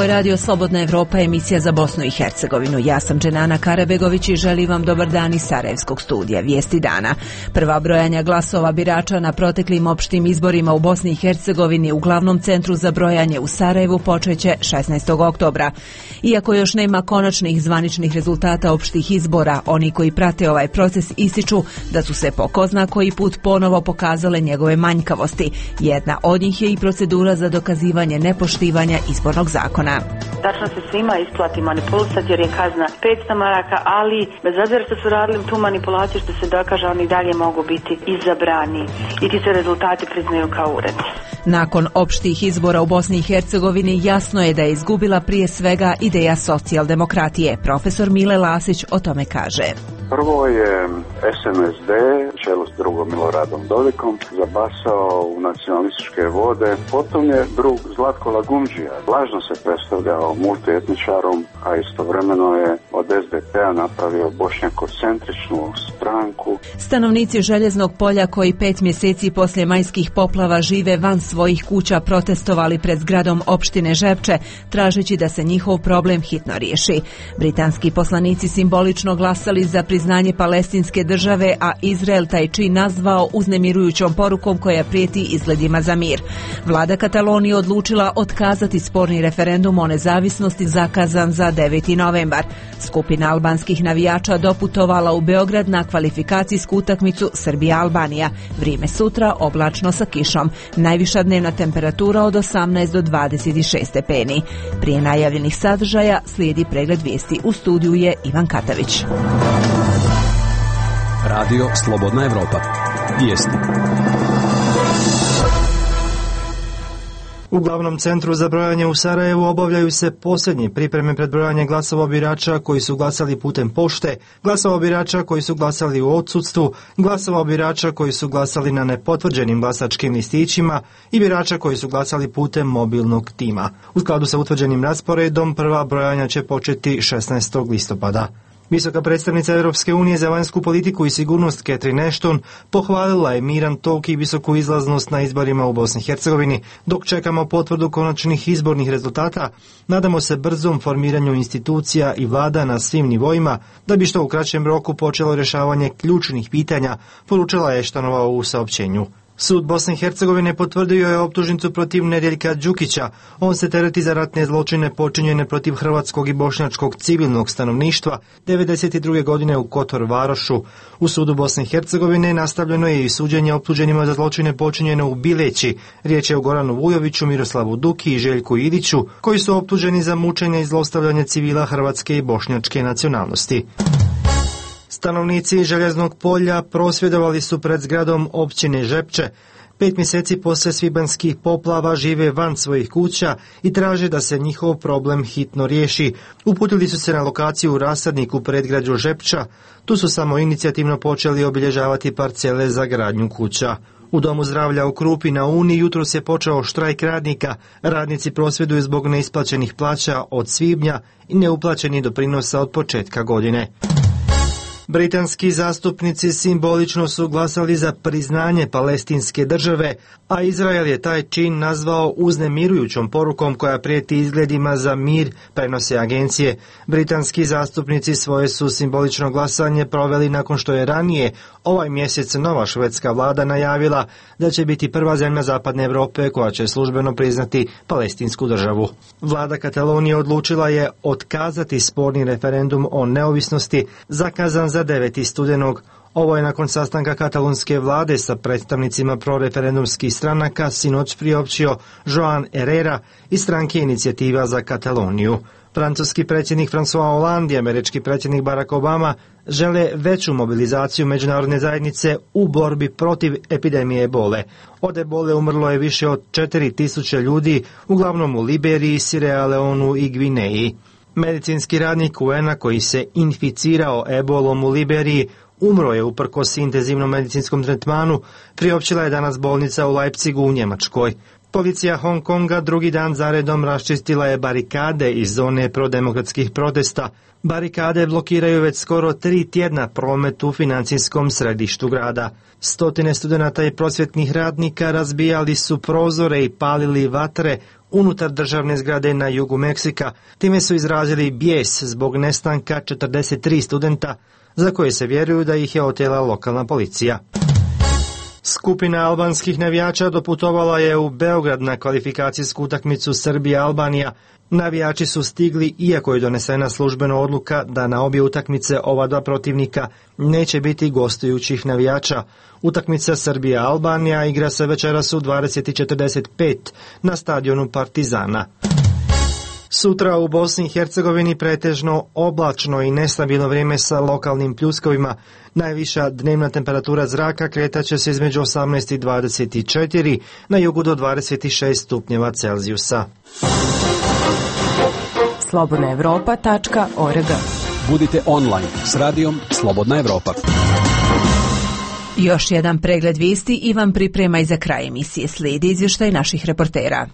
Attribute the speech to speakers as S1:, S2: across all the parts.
S1: je radio Slobodna Evropa, emisija za Bosnu i Hercegovinu. Ja sam Dženana Karabegović i želim vam dobar dan iz Sarajevskog studija. Vijesti dana. Prva brojanja glasova birača na proteklim opštim izborima u Bosni i Hercegovini u glavnom centru za brojanje u Sarajevu počeće 16. oktobra. Iako još nema konačnih zvaničnih rezultata opštih izbora, oni koji prate ovaj proces ističu da su se po ko zna koji put ponovo pokazale njegove manjkavosti. Jedna od njih je i procedura za dokazivanje nepoštivanja izbornog zakona.
S2: Tačno se svima isplati manipulisati jer je kazna 500 maraka, ali bez obzira što su radili tu manipulaciju što se dokaže, oni dalje mogu biti izabrani i ti se rezultati priznaju kao ured.
S1: Nakon opštih izbora u Bosni i Hercegovini jasno je da je izgubila prije svega ideja socijaldemokratije. Profesor Mile Lasić o tome kaže.
S3: Prvo je SNSD, čelo s drugom Miloradom Dodikom, zabasao u nacionalističke vode. Potom je drug Zlatko Lagumdžija lažno se predstavljao multietničarom, a istovremeno je od SDP-a napravio bošnjakocentričnu stranku.
S1: Stanovnici Željeznog polja koji 5 mjeseci poslije majskih poplava žive van svojih kuća protestovali pred zgradom opštine Žepče, tražeći da se njihov problem hitno riješi. Britanski poslanici simbolično glasali za priznanje palestinske države, a Izrael taj čin nazvao uznemirujućom porukom koja prijeti izgledima za mir. Vlada Katalonije odlučila otkazati sporni referendum o nezavisnosti zakazan za 9. novembar. Skupina albanskih navijača doputovala u Beograd na kvalifikacijsku utakmicu Srbija-Albanija. Vrijeme sutra oblačno sa kišom. Najviša dnevna temperatura od 18 do 26 stepeni. Prije najavljenih sadržaja slijedi pregled vijesti. U studiju je Ivan Katavić.
S4: Radio Slobodna Evropa. Vijesti.
S5: U glavnom centru za brojanje u Sarajevu obavljaju se posljednje pripreme pred brojanje glasova birača koji su glasali putem pošte, glasova birača koji su glasali u odsustvu, glasova birača koji su glasali na nepotvrđenim glasačkim listićima i birača koji su glasali putem mobilnog tima. U skladu sa utvrđenim rasporedom prva brojanja će početi 16. listopada. Visoka predstavnica Europske unije za vanjsku politiku i sigurnost Catherine Ashton pohvalila je miran tok i visoku izlaznost na izborima u Bosni i Hercegovini. Dok čekamo potvrdu konačnih izbornih rezultata, nadamo se brzom formiranju institucija i vlada na svim nivoima da bi što u kraćem roku počelo rješavanje ključnih pitanja, poručila je Ashtonova u saopćenju. Sud Bosne i Hercegovine potvrdio je optužnicu protiv Nedjeljka Đukića. On se tereti za ratne zločine počinjene protiv hrvatskog i bošnjačkog civilnog stanovništva 1992. godine u Kotor Varošu. U sudu Bosne i Hercegovine nastavljeno je i suđenje optuženima za zločine počinjene u Bileći. Riječ je o Goranu Vujoviću, Miroslavu Duki i Željku Idiću, koji su optuženi za mučenje i zlostavljanje civila hrvatske i bošnjačke nacionalnosti. Stanovnici Željeznog polja prosvjedovali su pred zgradom općine Žepče. 5 mjeseci poslije svibanjskih poplava žive van svojih kuća i traže da se njihov problem hitno riješi. Uputili su se na lokaciju u rasadnik u predgrađu Žepča. Tu su samo inicijativno počeli obilježavati parcele za gradnju kuća. U Domu zdravlja u Krupi na Uni jutros je počeo štrajk radnika. Radnici prosvjeduju zbog neisplaćenih plaća od svibnja i neuplaćenih doprinosa od početka godine. Britanski zastupnici simbolično su glasali za priznanje palestinske države, a Izrael je taj čin nazvao uznemirujućom porukom koja prijeti izgledima za mir, prenose agencije. Britanski zastupnici svoje su simbolično glasanje proveli nakon što je ranije ovaj mjesec nova švedska vlada najavila da će biti prva zemlja zapadne Europe koja će službeno priznati palestinsku državu. Vlada Katalonije odlučila je otkazati sporni referendum o neovisnosti zakazan za 9. studenog. Ovo je nakon sastanka katalonske vlade sa predstavnicima proreferendumskih stranaka sinoć priopćio Joan Herrera iz stranke Inicijativa za Kataloniju. Francuski predsjednik François Hollande i američki predsjednik Barack Obama žele veću mobilizaciju međunarodne zajednice u borbi protiv epidemije ebole. Od ebole umrlo je više od 4000 ljudi, uglavnom u Liberiji, Sierra Leonu i Gvineji. Medicinski radnik UN-a koji se inficirao ebolom u Liberiji umro je uprkos intenzivnom medicinskom tretmanu, priopćila je danas bolnica u Leipzigu u Njemačkoj. Policija Hong Konga drugi dan zaredom raščistila je barikade iz zone prodemokratskih protesta. Barikade blokiraju već skoro 3 tjedna promet u financijskom središtu grada. Stotine studenata i prosvjetnih radnika razbijali su prozore i palili vatre unutar državne zgrade na jugu Meksika. Time su izrazili bijes zbog nestanka 43 studenta za koje se vjeruju da ih je otela lokalna policija. Skupina albanskih navijača doputovala je u Beograd na kvalifikacijsku utakmicu Srbija-Albanija. Navijači su stigli iako je donesena službena odluka da na obje utakmice ova dva protivnika neće biti gostujućih navijača. Utakmica Srbija-Albanija igra se večeras u 20:45 na stadionu Partizana. Sutra u Bosni i Hercegovini pretežno oblačno i nestabilno vrijeme sa lokalnim pljuskovima. Najviša dnevna temperatura zraka kretaće se između 18 i 24, na jugu do 26 stupnjeva Celzijusa.
S6: slobodnaevropa.org.
S4: Budite online s radijom Slobodna Evropa.
S1: Još jedan pregled vijesti i vam priprema i za kraj emisije. Slijedi izvještaj naših reportera.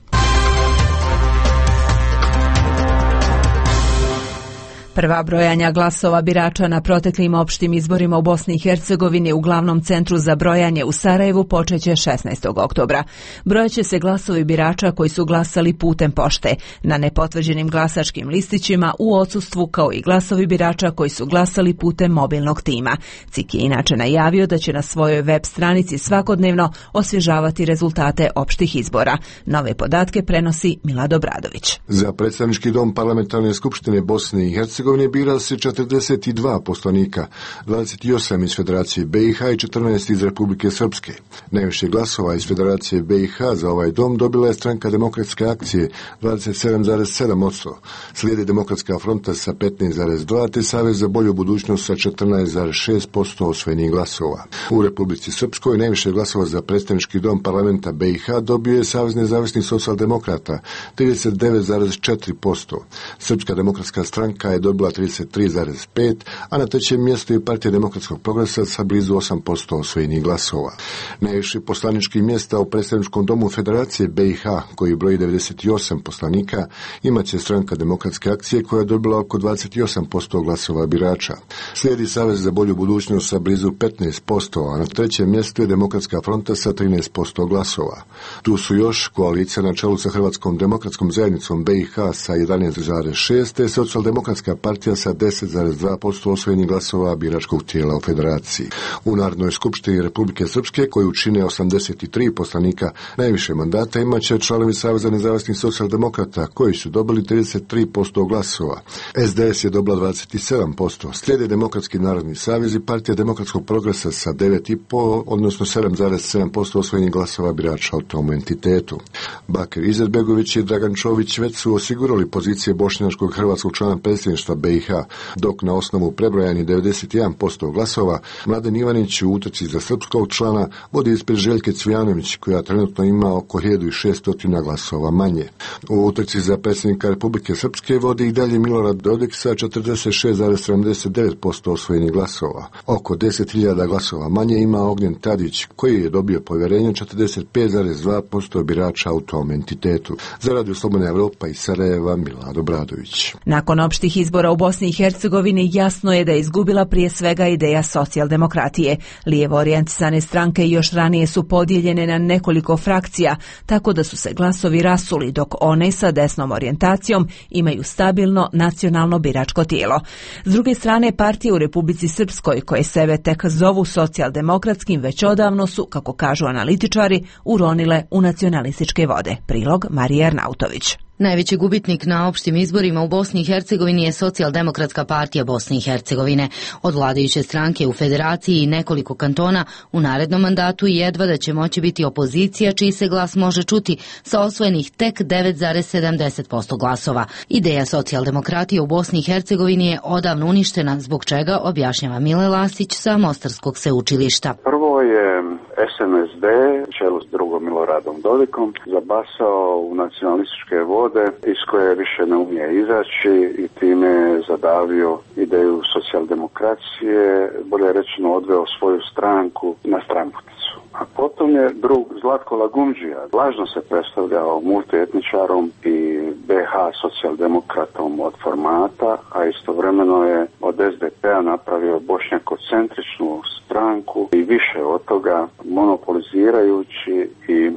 S1: Prva brojanja glasova birača na proteklim opštim izborima u Bosni i Hercegovini u glavnom centru za brojanje u Sarajevu počeće 16. oktobra. Brojaće se glasovi birača koji su glasali putem pošte, na nepotvrđenim glasačkim listićima u odsustvu, kao i glasovi birača koji su glasali putem mobilnog tima. CIK je inače najavio da će na svojoj web stranici svakodnevno osvježavati rezultate opštih izbora. Nove podatke prenosi Milad Obradović.
S7: Za predstavnički dom Parlamentarne skupštine Bosne i Hercegovine bira se 42 poslanika, 28 iz Federacije BiH i 14 iz Republike Srpske. Najviše glasova iz Federacije BiH za ovaj dom dobila je Stranka demokratske akcije 27,7%, slijedi Demokratska fronta sa 15,2% te Savez za bolju budućnost sa 14,6% osvojenih glasova. U Republici Srpskoj najviše glasova za predstavnički dom parlamenta BiH dobio je Savez nezavisnih socijaldemokrata 39,4%. Srpska demokratska stranka je dobila 33,5%, a na trećem mjestu je Partija demokratskog progresa sa blizu 8% osvojenih glasova. Najviše poslaničkih mjesta u predstavničkom domu Federacije BiH, koji broji 98 poslanika, imaće Stranka demokratske akcije koja je dobila oko 28% glasova birača. Slijedi Savez za bolju budućnost sa blizu 15%, a na trećem mjestu je Demokratska fronta sa 13% glasova. Tu su još koalicija na čelu sa Hrvatskom demokratskom zajednicom BiH sa 11,6% te Socijaldemokratska partija sa 10,2% osvojenih glasova biračkog tijela u Federaciji. U Narodnoj skupštini Republike Srpske, koju čine 83 poslanika, najviše mandata imaće članovi Saveza nezavisnih socijaldemokrata, koji su dobili 33% glasova. SDS je dobila 27%, slijede Demokratski narodni savez i Partija demokratskog progresa sa 9,5%, odnosno 7,7% osvojenih glasova birača u tom entitetu. Bakir Izetbegović i Dragan Čović već su osigurali pozicije bošnjačkog hrvatskog člana predsjedništva BiH, dok na osnovu prebrojanih 91% glasova Mladen Ivanić u utrci za srpskog člana vodi ispred Željke Cvijanović, koja trenutno ima oko 1600 glasova manje. U utrci za predsjednika Republike Srpske vodi i dalje Milorad Dodik sa 46,79% osvojenih glasova. Oko 10.000 glasova manje ima Ognjen Tadić, koji je dobio povjerenje 45,2% birača u tom entitetu. Za Radio Slobodna Evropa iz Sarajeva, Milad Obradović.
S1: Nakon opštih izbora u Bosni i Hercegovini jasno je da je izgubila prije svega ideja socijaldemokratije. Lijevo orijentisane stranke još ranije su podijeljene na nekoliko frakcija, tako da su se glasovi rasuli, dok one sa desnom orijentacijom imaju stabilno nacionalno biračko tijelo. S druge strane, partije u Republici Srpskoj, koje sebe tek zovu socijaldemokratskim, već odavno su, kako kažu analitičari, uronile u nacionalističke vode. Prilog Marija Arnautović.
S6: Najveći gubitnik na opštim izborima u Bosni i Hercegovini je Socijaldemokratska partija Bosne i Hercegovine. Od vladajuće stranke u Federaciji i nekoliko kantona u narednom mandatu jedva da će moći biti opozicija, čiji se glas može čuti sa osvojenih tek 9,70% glasova. Ideja socijaldemokratije u Bosni i Hercegovini je odavno uništena, zbog čega objašnjava Mile Lasić sa Mostarskog sveučilišta.
S3: Prvo je SNSD, čelu s drugom Miloradom Dodikom, zabasao u nacionalističke vode iz koje više ne umije izaći i time zadavio ideju socijaldemokracije, bolje rečeno odveo svoju stranku na stranputicu. A potom je drug Zlatko Lagumdžija lažno se predstavljao multietničarom i BH socijaldemokratom od formata, a istovremeno je od SDP-a napravio bošnjakocentričnu stranku i više od toga, monopolizirajući i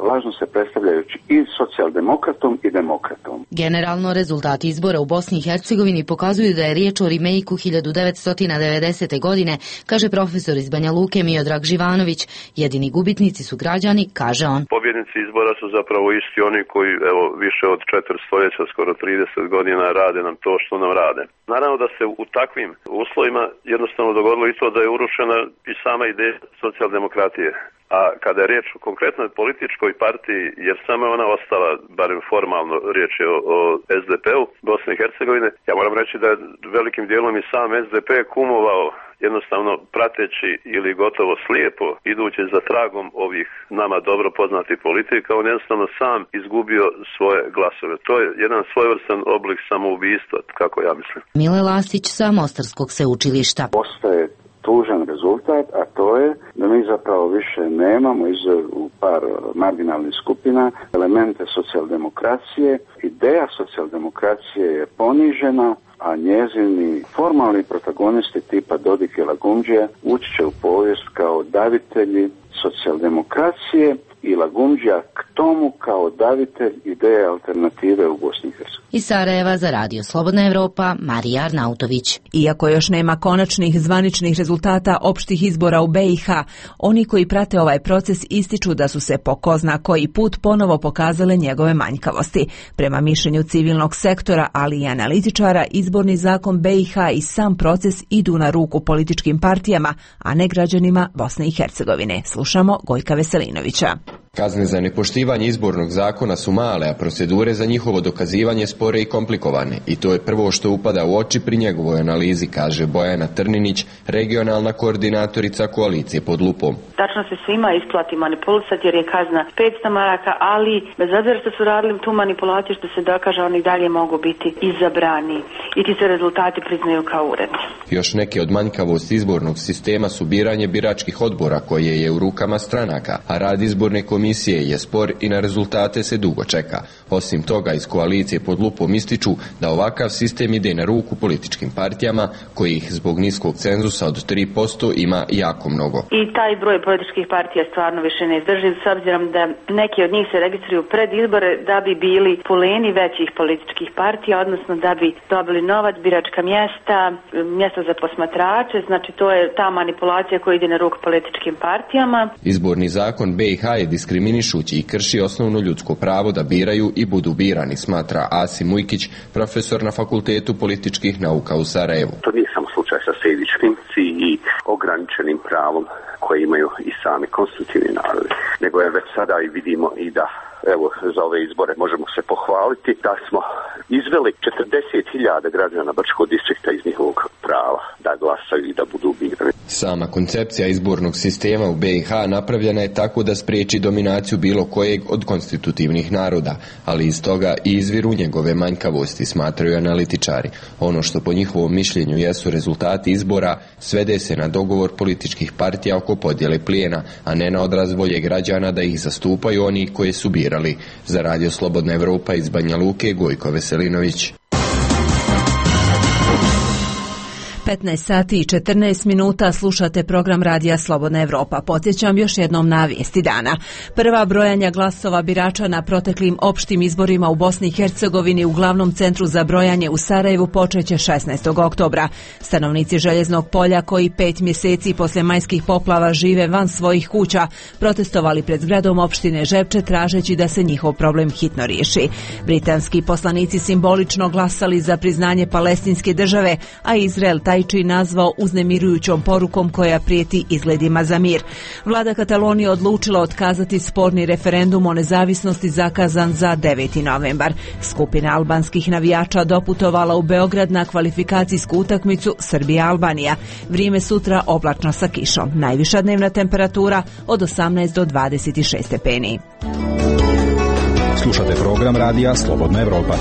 S3: lažno se predstavljajući i socijaldemokratom i demokratom.
S6: Generalno, rezultati izbora u Bosni i Hercegovini pokazuju da je riječ o remejku 1990. godine, kaže profesor iz Banja Luke Miodrag Živanović. Jedini gubitnici su građani, kaže on.
S8: Pobjednici izbora su zapravo isti oni koji više od 4 stoljeća, skoro 30 godina rade nam to što nam rade. Naravno da se u takvim uslovima jednostavno dogodilo i to da je urušena i sama ideja socijaldemokratije. A kada je riječ o konkretnoj političkoj partiji, jer samo je ona ostala, barem formalno, riječ je o SDP-u Bosne i Hercegovine, ja moram reći da je velikim dijelom i sam SDP kumovao, jednostavno prateći ili gotovo slijepo idući za tragom ovih nama dobro poznatih politika, on jednostavno sam izgubio svoje glasove. To je jedan svojevrstan oblik samoubistva, kako ja mislim.
S6: Mile Lastić sa Mostarskog sveučilišta.
S3: Postoje tužan rezultat, a to je da mi zapravo više nemamo u par marginalnih skupina elemente socijaldemokracije. Ideja socijaldemokracije je ponižena, a njezini formalni protagonisti tipa Dodik i Lagumdžija ući će u povijest kao davitelji socijaldemokracije i Lagumdžija k tomu kao davitelj ideje alternative u Bosni i Hercegovini.
S6: Iz Sarajeva za Radio Slobodna Evropa, Marija Arnautović.
S1: Iako još nema konačnih zvaničnih rezultata opštih izbora u BiH, oni koji prate ovaj proces ističu da su se po ko zna koji put ponovo pokazale njegove manjkavosti. Prema mišljenju civilnog sektora, ali i analitičara, izborni zakon BiH i sam proces idu na ruku političkim partijama, a ne građanima Bosne i Hercegovine. Slušamo Gojka Veselinovića.
S9: Kazne za nepoštivanje izbornog zakona su male, a procedure za njihovo dokazivanje spore i komplikovane. I to je prvo što upada u oči pri njegovoj analizi, kaže Bojana Trninić, regionalna koordinatorica koalicije Pod lupom.
S2: Tačno se svima isplati manipulisati jer je kazna 500 maraka, ali bez obzira što su radili tu manipulaciju što se dokaže, oni dalje mogu biti izabrani i ti se rezultati priznaju kao uredni.
S9: Još neke od manjkavosti izbornog sistema su biranje biračkih odbora koje je u rukama stranaka, a rad izborne komisije je spor i na rezultate se dugo čeka. Osim toga, iz koalicije Pod lupom ističu da ovakav sistem ide na ruku političkim partijama, kojih zbog niskog cenzusa od 3% ima jako mnogo.
S2: I taj broj političkih partija stvarno više ne izdrživ, s obzirom da neki od njih se registruju pred izbore da bi bili puleni većih političkih partija, odnosno da bi dobili novac, biračka mjesta, mjesta za posmatrače, znači to je ta manipulacija koja ide na ruku političkim partijama.
S9: Izborni zakon BiH je diskriminišući i krši osnovno ljudsko pravo da biraju i budu birani, smatra Asim Ujkić, profesor na Fakultetu političkih nauka u Sarajevu.
S10: To nije samo slučaj sa sejdičkim i ograničenim pravom koje imaju i sami konstitutivni narodi, nego je već sada i vidimo i da evo za ove izbore možemo se pohvaliti da smo izveli 40.000 građana Brčkog distrikta iz njihovog prava da glasaju i da budu birani.
S9: Sama koncepcija izbornog sistema u BiH napravljena je tako da spriječi dominaciju bilo kojeg od konstitutivnih naroda, ali iz toga i izviru njegove manjkavosti, smatraju analitičari. Ono što po njihovom mišljenju jesu rezultati izbora svede se na dogovor političkih partija oko podjele plijena, a ne na odraz volje građana da ih zastupaju oni koji su birali. Za Radio Slobodna Evropa iz Banja Luke, Gojko Veselinović.
S1: 15 sati i 14 minuta slušate program Radija Slobodna Evropa. Podsjećam još jednom na vijesti dana. Prva brojanja glasova birača na proteklim opštim izborima u Bosni i Hercegovini u glavnom centru za brojanje u Sarajevu počeće 16. oktobra. Stanovnici Željeznog polja koji 5 mjeseci poslije majskih poplava žive van svojih kuća protestovali pred zgradom opštine Žepče tražeći da se njihov problem hitno riješi. Britanski poslanici simbolično glasali za priznanje palestinske države, a Izrael taj nazvao uznemirujućom porukom koja prijeti izgledima za mir. Vlada Katalonije odlučila otkazati sporni referendum o nezavisnosti zakazan za 9. novembar. Skupina albanskih navijača doputovala u Beograd na kvalifikacijsku utakmicu Srbija-Albanija. Vrijeme sutra oblačno sa kišom. Najviša dnevna temperatura od 18 do 26 stepeni.
S4: Slušate program Radija Slobodna Evropa.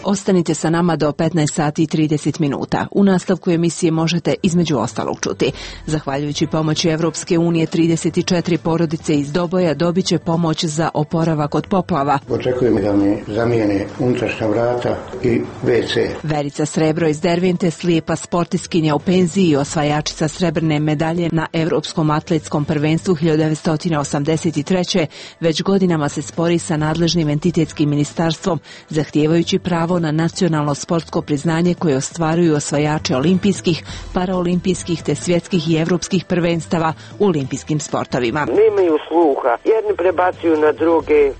S1: Ostanite sa nama do 15 sati i 30 minuta. U nastavku emisije možete između ostalog čuti. Zahvaljujući pomoći Evropske unije, 34 porodice iz Doboja dobit će pomoć za oporavak od poplava.
S11: Očekujem da mi zamijene unutrašnja vrata i WC.
S1: Verica Srebro iz Dervente, slijepa sportiskinja u penziji i osvajačica srebrne medalje na Evropskom atletskom prvenstvu 1983. već godinama se spori sa nadležnim entitetskim ministarstvom, zahtijevajući pravo na nacionalno sportsko priznanje koje ostvaruju osvajači olimpijskih, paraolimpijskih te svjetskih i evropskih prvenstava u olimpijskim sportovima.
S12: Nemaju sluha, jedni prebacuju na druge.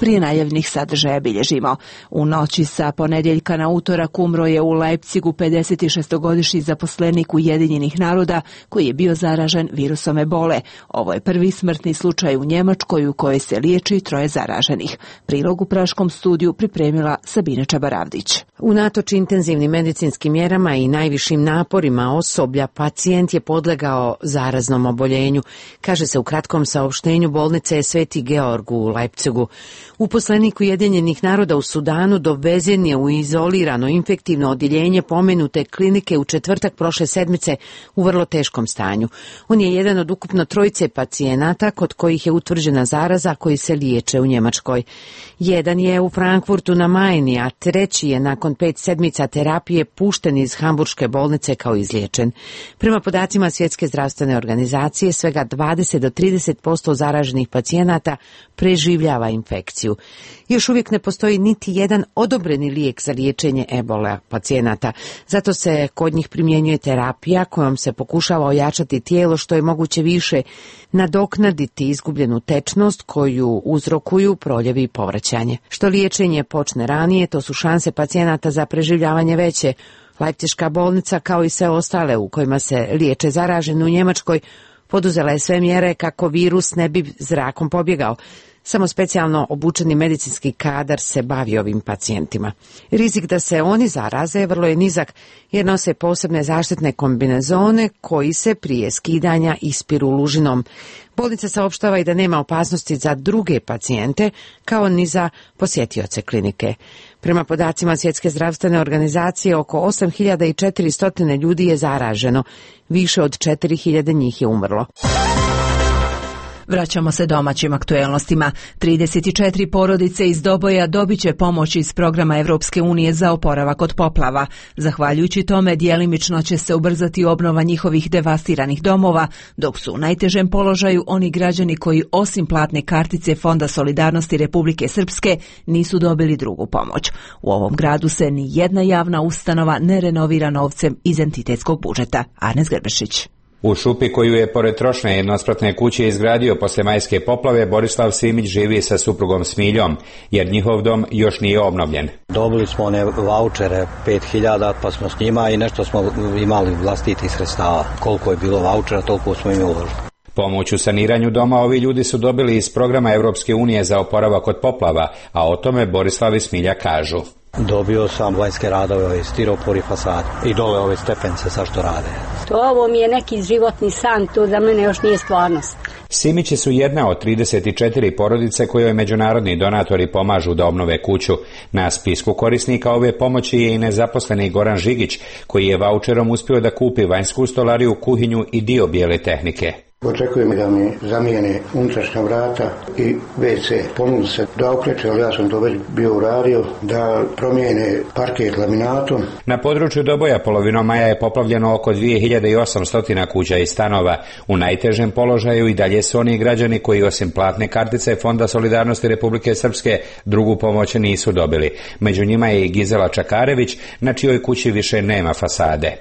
S1: Prije najavljenih sadržaja bilježimo. U noći sa ponedjeljka na utorak umro je u Leipzigu 56-godišnji zaposlenik Ujedinjenih naroda koji je bio zaražen virusom ebole. Ovo je prvi smrtni slučaj u Njemačkoj u kojoj se liječi 3 zaraženih. Prilog u praškom studiju pripremila Sabina Čabaravdić.
S13: Unatoč intenzivnim medicinskim mjerama i najvišim naporima osoblja, pacijent je podlegao zaraznom oboljenju, kaže se u kratkom saopštenju bolnice Sveti Georg u Leipzigu. Uposlenik Ujedinjenih naroda u Sudanu dovezen je u izolirano infektivno odjeljenje pomenute klinike u četvrtak prošle sedmice u vrlo teškom stanju. On je jedan od ukupno 3 pacijenata kod kojih je utvrđena zaraza koji se liječe u Njemačkoj. Jedan je u Frankfurtu na Majni, a 3 je nakon 5 sedmica terapije pušten iz hamburške bolnice kao izliječen. Prema podacima Svjetske zdravstvene organizacije, svega 20 do 30% zaraženih pacijenata preživljava infekciju. Još uvijek ne postoji niti jedan odobreni lijek za liječenje ebola pacijenata. Zato se kod njih primjenjuje terapija kojom se pokušava ojačati tijelo što je moguće više, nadoknaditi izgubljenu tečnost koju uzrokuju proljevi i povraćanje. Što liječenje počne ranije, to su šanse pacijenata za preživljavanje veće. Leipziška bolnica, kao i sve ostale u kojima se liječe zaraženi u Njemačkoj, poduzela je sve mjere kako virus ne bi zrakom pobjegao. Samo specijalno obučeni medicinski kadar se bavi ovim pacijentima. Rizik da se oni zaraze vrlo je nizak jer nose posebne zaštitne kombinezone koji se prije skidanja ispiru lužinom. Bolnica saopštava i da nema opasnosti za druge pacijente kao ni za posjetioce klinike. Prema podacima Svjetske zdravstvene organizacije, oko 8400 ljudi je zaraženo, više od 4000 njih je umrlo.
S1: Vraćamo se domaćim aktuelnostima. 34 porodice iz Doboja dobit će pomoć iz programa Evropske unije za oporavak od poplava. Zahvaljujući tome, djelimično će se ubrzati obnova njihovih devastiranih domova, dok su u najtežem položaju oni građani koji osim platne kartice Fonda solidarnosti Republike Srpske nisu dobili drugu pomoć. U ovom gradu se ni jedna javna ustanova ne renovira novcem iz entitetskog budžeta. Arnes Grbešić.
S14: U šupi koju je pored trošne jednospratne kuće izgradio posle majske poplave, Borislav Simić živi sa suprugom Smiljom, jer njihov dom još nije obnovljen.
S15: Dobili smo one vaučere 5000, pa smo s njima i nešto smo imali vlastitih sredstava. Koliko je bilo vaučera, toliko smo im uložili.
S14: Pomoć u saniranju doma ovi ljudi su dobili iz programa Evropske unije za oporavak od poplava, a o tome Borislav i Smilja kažu.
S15: Dobio sam vanjske radove, ove stiropor i fasade i dole ove stepence sa što rade.
S16: Ovo mi je neki životni san, to za mene još nije stvarnost.
S14: Simići su jedna od 34 porodice kojoj međunarodni donatori pomažu da obnove kuću. Na spisku korisnika ove pomoći je i nezaposleni Goran Žigić, koji je vaučerom uspio da kupi vanjsku stolariju, kuhinju i dio bijele tehnike.
S11: Očekujem da mi zamijene unutrašnja vrata i WC. Ponudi se da okreće, ali ja sam to već bio uradio, da promijene parket laminatom.
S14: Na području Doboja polovinom maja je poplavljeno oko 2800 kuća i stanova. U najtežem položaju i dalje su oni građani koji osim platne kartice Fonda solidarnosti Republike Srpske drugu pomoć nisu dobili. Među njima je i Gizela Čakarević, na čijoj kući više nema fasade.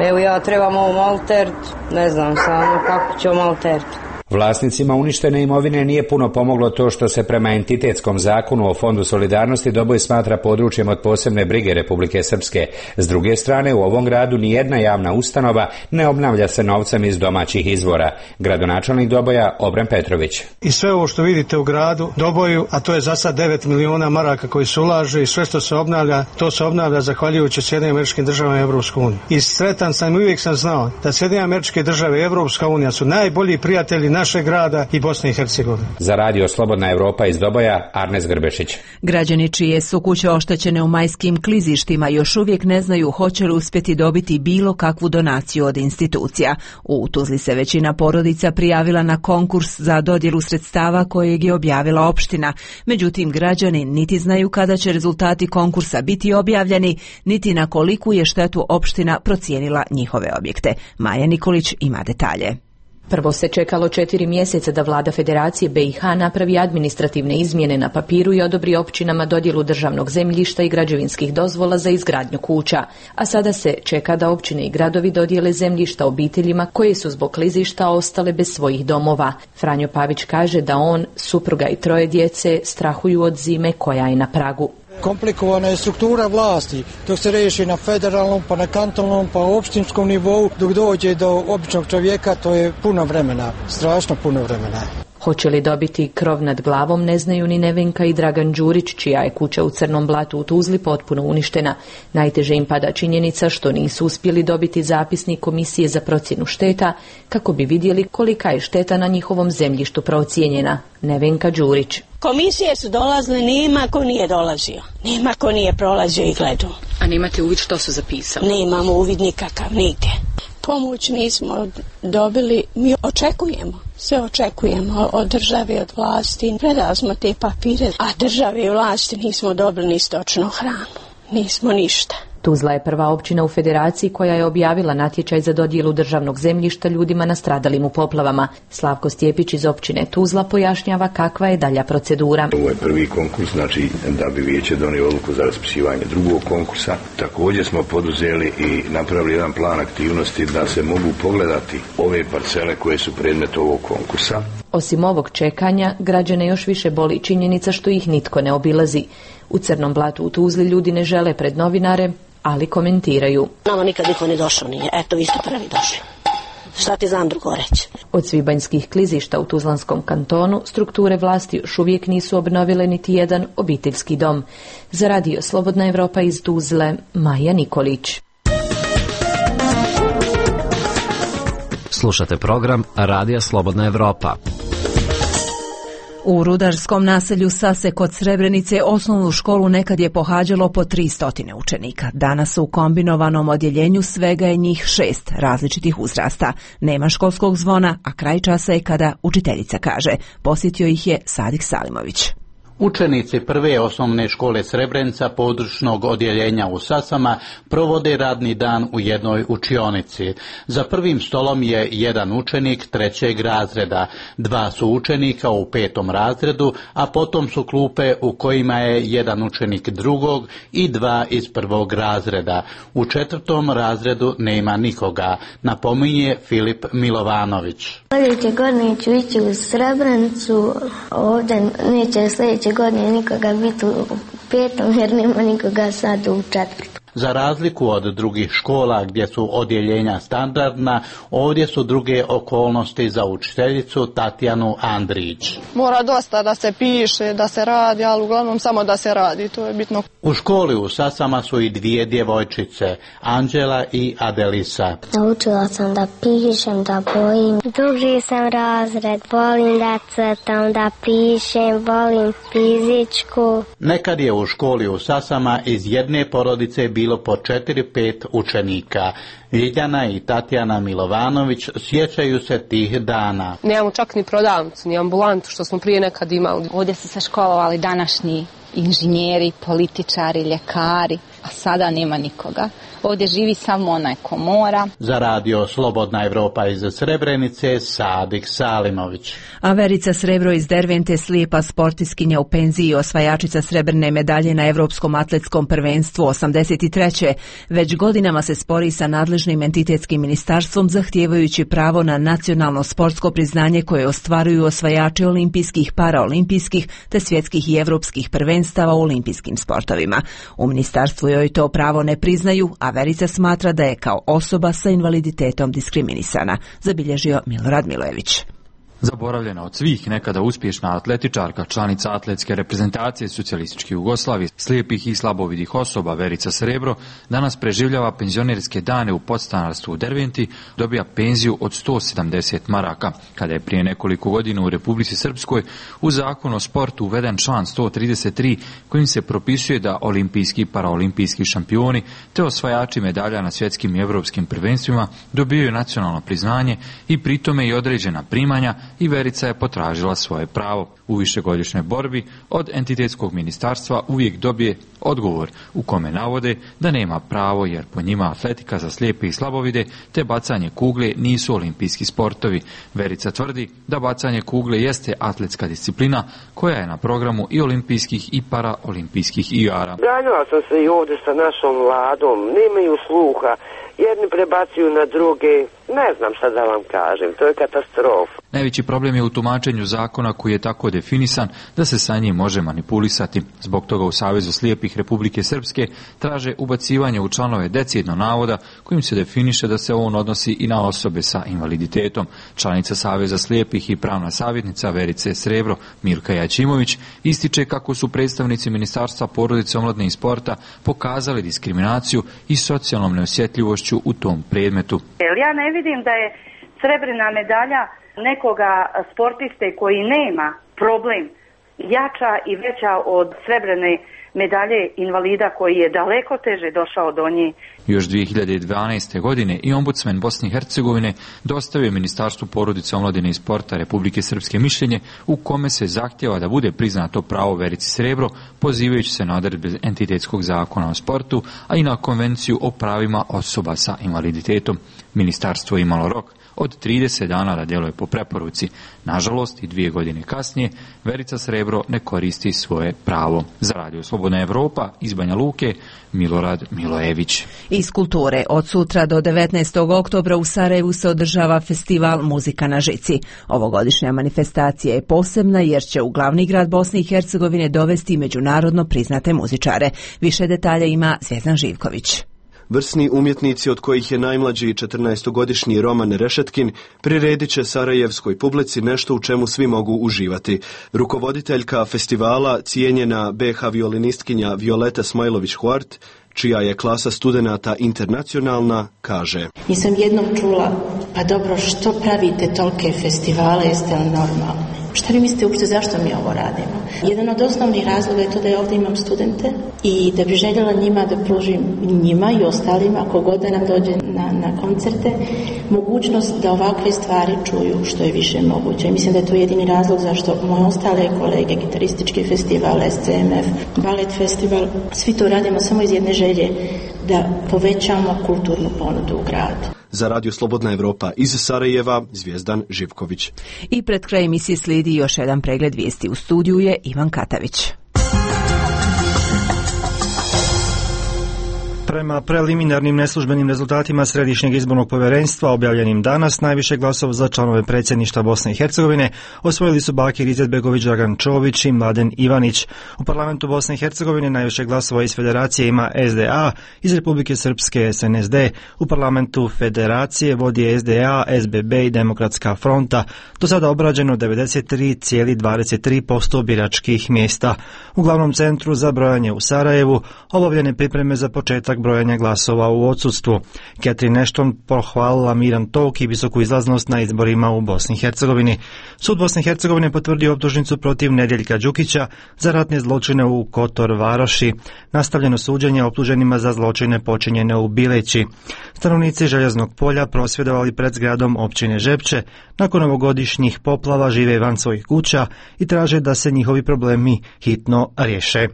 S16: Evo ja trebam ovom altert, ne znam samo kako ću ovom altert.
S14: Vlasnicima uništene imovine nije puno pomoglo to što se prema entitetskom zakonu o Fondu solidarnosti Doboj smatra područjem od posebne brige Republike Srpske. S druge strane, u ovom gradu nijedna javna ustanova ne obnavlja se novcem iz domaćih izvora. Gradonačelnik Doboja Obren Petrović.
S17: I sve ovo što vidite u gradu Doboju, a to je za sad 9 miliona maraka koji se ulaže i sve što se obnavlja, to se obnavlja zahvaljujući Sjedinjenim Američkim Državama i Evropskoj uniji. I sretan sam i uvijek sam znao da Sjedinjene Američke Države i Evropska unija su najbolji prijatelji našeg grada i Bosne i Hercegovine.
S14: Za radio Slobodna Evropa iz Doboja, Arnes Grbešić.
S1: Građani čije su kuće oštećene u majskim klizištima još uvijek ne znaju hoće li uspjeti dobiti bilo kakvu donaciju od institucija. U Tuzli se većina porodica prijavila na konkurs za dodjelu sredstava kojeg je objavila opština. Međutim, građani niti znaju kada će rezultati konkursa biti objavljeni, niti na koliku je štetu opština procijenila njihove objekte. Maja Nikolić ima detalje.
S18: Prvo se čekalo 4 mjeseca da vlada Federacije BiH napravi administrativne izmjene na papiru i odobri općinama dodjelu državnog zemljišta i građevinskih dozvola za izgradnju kuća. A sada se čeka da općine i gradovi dodijele zemljišta obiteljima koje su zbog klizišta ostale bez svojih domova. Franjo Pavić kaže da on, supruga i 3 djece strahuju od zime koja je na pragu.
S19: Komplikovana je struktura vlasti, dok se riješi na federalnom, pa na kantonalnom, pa opštinskom nivou, dok dođe do običnog čovjeka, to je puno vremena, strašno puno vremena.
S18: Hoće li dobiti krov nad glavom ne znaju ni Nevenka i Dragan Đurić, čija je kuća u Crnom Blatu u Tuzli potpuno uništena. Najteže im pada činjenica što nisu uspjeli dobiti zapisnik Komisije za procjenu šteta kako bi vidjeli kolika je šteta na njihovom zemljištu procijenjena. Nevenka Đurić.
S20: Komisije su dolazile, nema ko nije dolazio, nema ko nije prolazio i gledao.
S18: A nemate uvid što su zapisali?
S20: Nemamo uvid nikakav, nigdje. Pomoć nismo dobili, mi očekujemo, sve očekujemo od države, od vlasti. Predali smo te papire, a države i vlasti nismo dobili ni stočnu hranu, nismo ništa.
S18: Tuzla je prva općina u Federaciji koja je objavila natječaj za dodjelu državnog zemljišta ljudima nastradalim u poplavama. Slavko Stjepić iz općine Tuzla pojašnjava kakva je dalja procedura.
S21: Ovo je prvi konkurs, znači da bi vijeće donio odluku za raspisivanje drugog konkursa. Također smo poduzeli i napravili jedan plan aktivnosti da se mogu pogledati ove parcele koje su predmet ovog konkursa.
S18: Osim ovog čekanja, građane još više boli činjenica što ih nitko ne obilazi. U Crnom Blatu u Tuzli ljudi ne žele pred novinare, ali komentiraju.
S20: Nama nikad niko ne došao nije, eto vi ste prvi došli. Šta ti znam drugo reći?
S18: Od svibanjskih klizišta u Tuzlanskom kantonu strukture vlasti još uvijek nisu obnovile niti jedan obiteljski dom. Za radio Slobodna Evropa iz Tuzle, Maja Nikolić.
S22: Slušate program Radija Slobodna Evropa.
S1: U rudarskom naselju Sase kod Srebrenice osnovnu školu nekad je pohađalo po 300 učenika. Danas u kombinovanom odjeljenju svega je njih 6 različitih uzrasta. Nema školskog zvona, a kraj časa je kada učiteljica kaže. Posjetio ih je Sadik Salimović.
S23: Učenici prve osnovne škole Srebrenica područnog odjeljenja u Sasama provode radni dan u jednoj učionici. Za prvim stolom je jedan učenik 3. razreda, 2 su učenika u 5. razredu, a potom su klupe u kojima je jedan učenik 2. i 2 iz 1. razreda. U 4. razredu nema nikoga, napominje Filip Milovanović.
S24: Sljedeće godine ću ići u Srebrenicu, ovdje neće sljedeće godine nikoga biti u 5. jer nema nikoga sad u 4.
S23: Za razliku od drugih škola gdje su odjeljenja standardna, ovdje su druge okolnosti za učiteljicu Tatjanu Andrić.
S25: Mora dosta da se piše, da se radi, ali uglavnom samo da se radi, to je bitno.
S23: U školi u Sasama su i 2 djevojčice, Anđela i Adelisa.
S24: Naučila sam da pišem, da bojim. Drugi sam razred, volim da crtam, da pišem, volim fizičku.
S23: Nekad je u školi u Sasama iz jedne porodice bilo po 4-5 učenika. Ljiljana i Tatjana Milovanović sjećaju se tih dana.
S26: Nemamo čak ni prodavnicu, ni ambulantu što smo prije nekad imali.
S27: Ovdje su se školovali današnji inženjeri, političari, ljekari, a sada nema nikoga. Ovdje živi samo onaj ko mora.
S23: Za radio Slobodna Evropa iz Srebrenice, Sadik Salimović.
S1: A Verica Srebro iz Dervente, slijepa sportiskinja u penziji, osvajačica srebrne medalje na Evropskom atletskom prvenstvu 83. Već godinama se spori sa nadležnim entitetskim ministarstvom zahtijevajući pravo na nacionalno sportsko priznanje koje ostvaruju osvajači olimpijskih, paraolimpijskih te svjetskih i evropskih prvenstava u olimpijskim sportovima. U ministarstvu joj to pravo ne priznaju, a Verica smatra da je kao osoba sa invaliditetom diskriminisana, zabilježio Milorad Milojević.
S2: Zaboravljena od svih nekada uspješna atletičarka, članica atletske reprezentacije Socijalističke Jugoslavije, slijepih i slabovidih osoba Verica Srebro, danas preživljava penzionerske dane u podstanarstvu u Derventi, dobija penziju od 170 maraka. Kada je prije nekoliko godina u Republici Srpskoj u zakon o sportu uveden član 133 kojim se propisuje da olimpijski i paraolimpijski šampioni te osvajači medalja na svjetskim i europskim prvenstvima dobijaju nacionalno priznanje i pritome i određena primanja, i Verica je potražila svoje pravo. U višegodišnjoj borbi od entitetskog ministarstva uvijek dobije odgovor u kome navode da nema pravo jer po njima atletika za slijepe i slabovide te bacanje kugle nisu olimpijski sportovi. Verica tvrdi da bacanje kugle jeste atletska disciplina koja je na programu i olimpijskih i paraolimpijskih igara.
S12: Ganjala sam se i ovdje sa našom vladom, nemaju sluha, jedni prebacuju na druge, ne znam šta da vam kažem, to je katastrofa.
S2: Najveći problem je u tumačenju zakona koji je tako definisan da se sa njim može manipulisati. Zbog toga u Savezu slijepih Republike Srpske traže ubacivanje u članove decidno navoda kojim se definiše da se on odnosi i na osobe sa invaliditetom. Članica Saveza slijepih i pravna savjetnica Verice Srebro Milka Jačimović ističe kako su predstavnici Ministarstva porodice, omladine i sporta pokazali diskriminaciju i socijalnom neosjetljivošću u tom predmetu.
S3: Ja ne vidim da je srebrna medalja nekoga sportiste koji nema problem jača i veća od srebrne medalje invalida koji je daleko teže došao do nje.
S2: Još 2012. godine i ombudsman Bosne i Hercegovine dostavio Ministarstvu porodice, omladine i sporta Republike Srpske mišljenje u kome se zahtjeva da bude priznato pravo Verici Srebro, pozivajući se na odredbe entitetskog zakona o sportu, a i na konvenciju o pravima osoba sa invaliditetom. Ministarstvo je imalo rok od 30 dana da djeluje po preporuci. Nažalost, i 2 godine kasnije, Verica Srebro ne koristi svoje pravo. Za Radio Slobodna Evropa iz Banja Luke, Milorad Milojević.
S1: Iz kulture, od sutra do 19. oktobra u Sarajevu se održava festival Muzika na žici. Ovogodišnja manifestacija je posebna jer će u glavni grad Bosne i Hercegovine dovesti međunarodno priznate muzičare. Više detalja ima Zvjezdan Živković.
S5: Vrsni umjetnici, od kojih je najmlađi 14-godišnji Roman Rešetkin, priredit će sarajevskoj publici nešto u čemu svi mogu uživati. Rukovoditeljka festivala, cijenjena BH violinistkinja Violeta Smajlović-Huart, čija je klasa studenata internacionalna, kaže:
S6: Nisam jednom čula, pa dobro, što pravite tolike festivale, jeste li normalni? Šta vi mislite uopšte zašto mi ovo radimo? Jedan od osnovnih razloga je to da ja ovdje imam studente i da bi željela njima da pružim, njima i ostalima, kogod da nam dođe na koncerte, mogućnost da ovakve stvari čuju što je više moguće. I mislim da je to jedini razlog zašto moje ostale kolege, gitaristički festival, SCMF, balet festival, svi to radimo samo iz jedne želje da povećamo kulturnu ponudu u gradu.
S5: Za Radio Slobodna Evropa iz Sarajeva, Zvjezdan Živković.
S1: I pred kraj emisije slijedi još jedan pregled vijesti. U studiju je Ivan Katavić.
S7: Prema preliminarnim neslužbenim rezultatima Središnjeg izbornog povjerenstva objavljenim danas, najviše glasova za članove predsjedništva Bosne i Hercegovine osvojili su Bakir Izetbegović, Dragan Čović i Mladen Ivanić. U parlamentu Bosne i Hercegovine najviše glasova iz federacije ima SDA, iz Republike Srpske SNSD. U parlamentu federacije vodi SDA, SBB i Demokratska fronta. Do sada obrađeno 93,23% biračkih mjesta. U glavnom centru za brojanje u Sarajevu obavljene pripreme za početak brojanja glasova u odsustvu. Catherine Ashton pohvalila miran tok i visoku izlaznost na izborima u Bosni i Hercegovini. Sud Bosne i Hercegovine potvrdio optužnicu protiv Nedjeljka Đukića za ratne zločine u Kotor Varoši. Nastavljeno suđenje optuženima za zločine počinjene u Bileći. Stanovnici Željeznog polja prosvjedovali pred zgradom općine Žepče. Nakon ovogodišnjih poplava žive van svojih kuća i traže da se njihovi problemi hitno riješe.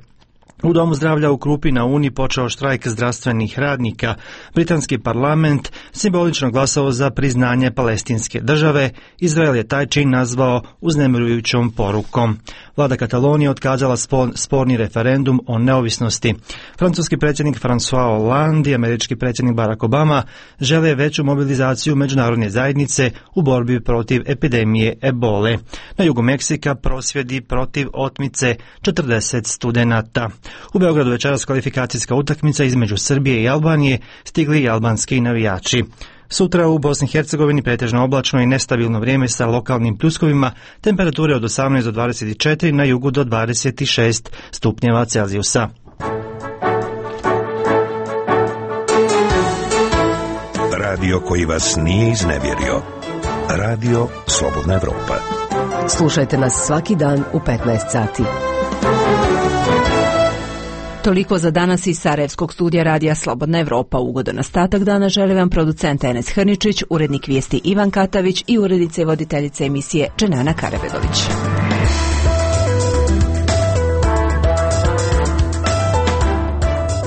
S7: U Domu zdravlja u Krupi na Uni počeo štrajk zdravstvenih radnika. Britanski parlament simbolično glasao za priznanje palestinske države. Izrael je taj čin nazvao uznemirujućom porukom. Vlada Katalonije otkazala sporni referendum o neovisnosti. Francuski predsjednik François Hollande i američki predsjednik Barack Obama žele veću mobilizaciju međunarodne zajednice u borbi protiv epidemije ebole. Na jugu Meksika prosvjedi protiv otmice 40 studenata. U Beogradu večeras kvalifikacijska utakmica između Srbije i Albanije, stigli i albanski navijači. Sutra u Bosni i Hercegovini pretežno oblačno i nestabilno vrijeme sa lokalnim pljuskovima, temperature od 18 do 24, na jugu do 26 stupnjeva Celzijusa.
S4: Radio koji vas nije iznevjerio. Radio Slobodna Evropa.
S8: Slušajte nas svaki dan u 15 sati.
S1: Toliko za danas iz Sarajevskog studija Radija Slobodna Evropa. Ugodan ostatak dana želi vam producent Enes Hrničić, urednik vijesti Ivan Katavić i urednica i voditeljica emisije Dženana Karabegović.